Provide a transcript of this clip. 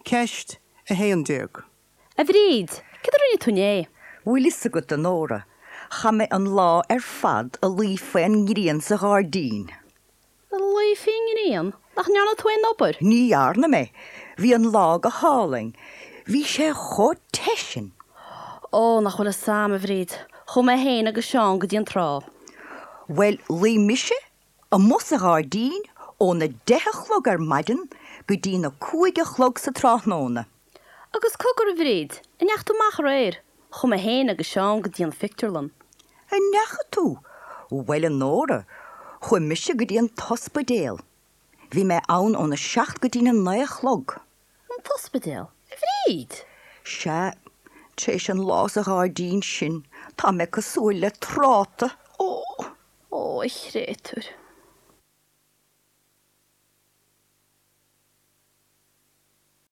Ceist 11. A Bhríd, céard a rinne tú inné? Bhfuil fhios agat, a Nóra, chaith mé an lá ar fad a luí faoin ngrian sa ghairdín. A luí faoin ngrian? Nach ndearna tú aon obair? Ní dhearna mé. Bhí an lá go hálainn. Bhí sé chomh te sin. Ó, nach bhfuil fhios a'm, a Bhríd. Chuaigh mé féin agus Seán go dtí an trá. Bhuel, luigh mise amuigh sa ghairdín óna deich a chlog ar maidin go dtí na cúig a chlog sa tráthnóna. Agus cogar, a Bhríd, an ndeachaigh tú amach aréir? Chuaigh mé féin agus Seán go dtí an phictiúrlann. An ndeachaigh tú? Bhuel, a Nóra, chuaigh mise go dtí an t-ospidéal. Bhí mé ann óna seacht go dtí na naoi a chlog. An t-ospidéal, a Bhríd? Sea, tar éis an lá sa ghairdín sin, tá mé cosúil le tráta. Ó! Ó, a chréatúir.